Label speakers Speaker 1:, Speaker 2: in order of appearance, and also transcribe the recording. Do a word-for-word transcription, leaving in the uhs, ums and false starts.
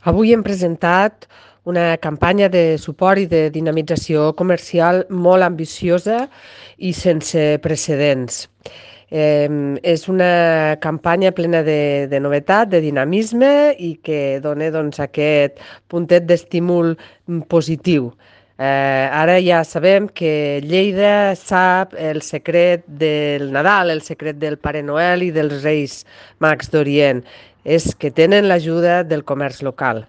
Speaker 1: Avui hem presentat una campanya de suport i de dinamització comercial molt ambiciosa i sense precedents. Eh, és una campanya plena de, de novetat, de dinamisme i que dona doncs, aquest puntet d'estímul positiu. Eh, ara ja sabem que Lleida sap el secret del Nadal, el secret del Pare Noel i dels Reis Mags d'Orient. És que tenen l'ajuda del comerç local.